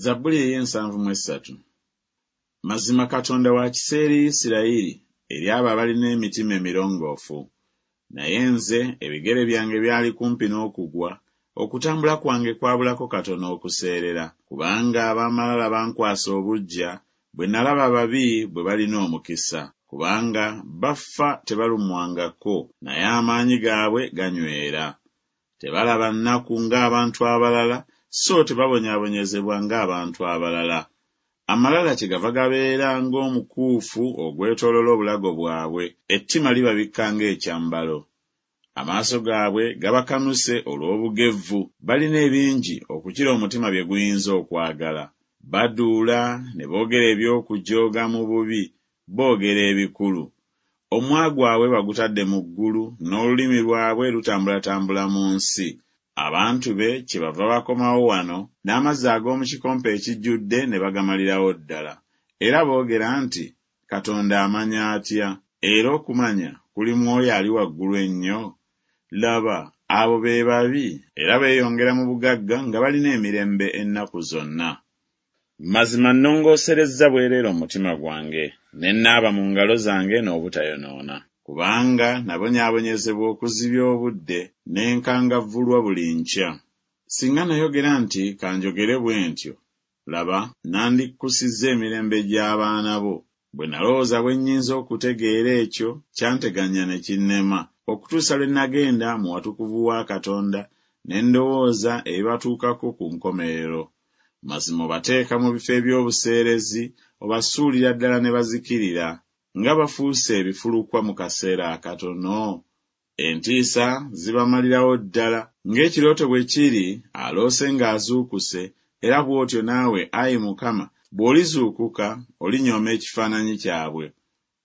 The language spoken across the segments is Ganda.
Zabbuli ey'ensanvu mu essatu. Mazima Katonda wa kisa eri Isirayiri, eri abo abalina emitima emirongoofu. Naye nze ebigere byange byali kumpi n'okugwa, okutambula kwange kwabulako katono okuseerera, kubanga ab'amalala bankwasa obuggya, bwe nalaba ababi bwe balina omukisa. Kubanga bafa tebalumwangako, naye amaanyi gaabwe ganywera. Tebalaba nnaku ng'abantu abalala, so tebabonyaabonyezebwa ng'abantu abalala. Amalala kyegava gabeera ng'omukuufu ogwetooloola obulago bwabwe, ettima libabikka ng'ekyambalo. Amaaso gaabwe gabakanuse olw'obugevvu, balina ebingi okukira omutima bye guyinza okwagala. Baduula ne boogera eby'okujooga mu bubi, boogera ebikulu. Omumwa gwabwe bagutadde mu ggulu, n'olulimi lwabwe lutambulatambula mu nsi. Abantu be kyebava bakomawo wano, n'amazzi ag'omu kikompe ekijjudde ne bagamalirawo ddala. Era boogera nti, Katonda amanya atya? Era okumanya kuli mu oyo Ali Waggulu Ennyo? Laba, abo be babi, era beeyongera mu bugagga nga balina emirembe ennaku zonna. Mazima nnongooserezza bwereere omutima gwange, ne nnaaba mu ngalo zange n'obutayonoona. Kubanga nabonyaabonyezebwa okuzibya obudde, ne nkangavvulwa buli nkya. Singa nayogera nti Ka njogere bwe ntyo, laba, nandikkusizza emirembe gy'abaana bo. Bwe nalowooza bwe nnyinza okutegeera ekyo, kyanteganya ne kinnema, okutuusa lwe nagenda mu watukuvu wa Katonda, ne ndowooza ebibatuukako ku nkomerero. Mazima obateeka mu bifo eby'obuseerezi, obasuulira ddala ne bazikirira. Nga bafuuse ebifulukwa mu kaseera akatono! Entiisa zibamalirawo ddala. Ng'ekirooto bwe kiri, aloose ng'azuukuse, era bw'otyo naawe, ayi Mukama, bw'olizuukuka, olinyooma ekifaananyi kyabwe.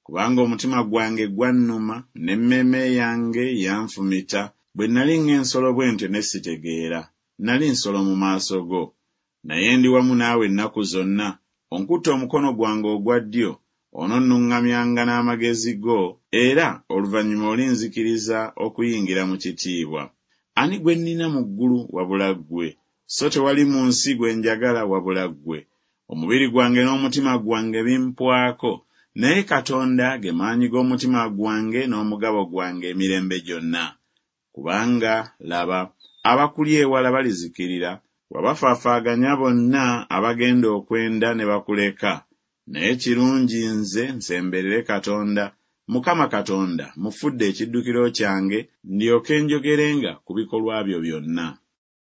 Kubanga omutima gwange gwannuma, n'emmeeme yange yanfumita, bwe nnali ng'ensolo bwe ntyo ne sitegeera, nnali nsolo mu maaso go. Naye ndi wamu naawe ennaku zonna, onkutte omukono gwange ogwa ddyo, ononnuŋŋamyanga n'amagezi go, era oluvannyuma olinzikiriza okuyingira mu kitiibwa. Ani gwe nnina mu ggulu wabula ggwe? So tewali mu nsi gwe njagala wabula ggwe. Omubiri gwange n'omutima gwange bimpwako, naye Katonda ge maanyi g'omutima gwange n'omugabo gwange emirembe gyonna. Kubanga, laba, abakuli ewala balizikirira, wabafaafaaganya bonna abagenda okwenda ne bakuleka. Naye kirungi nze nsemberere Katonda, Mukama Katonda mufudde ekiddukiro kyange, ndyoke njogerenga ku bikolwa byo byonna.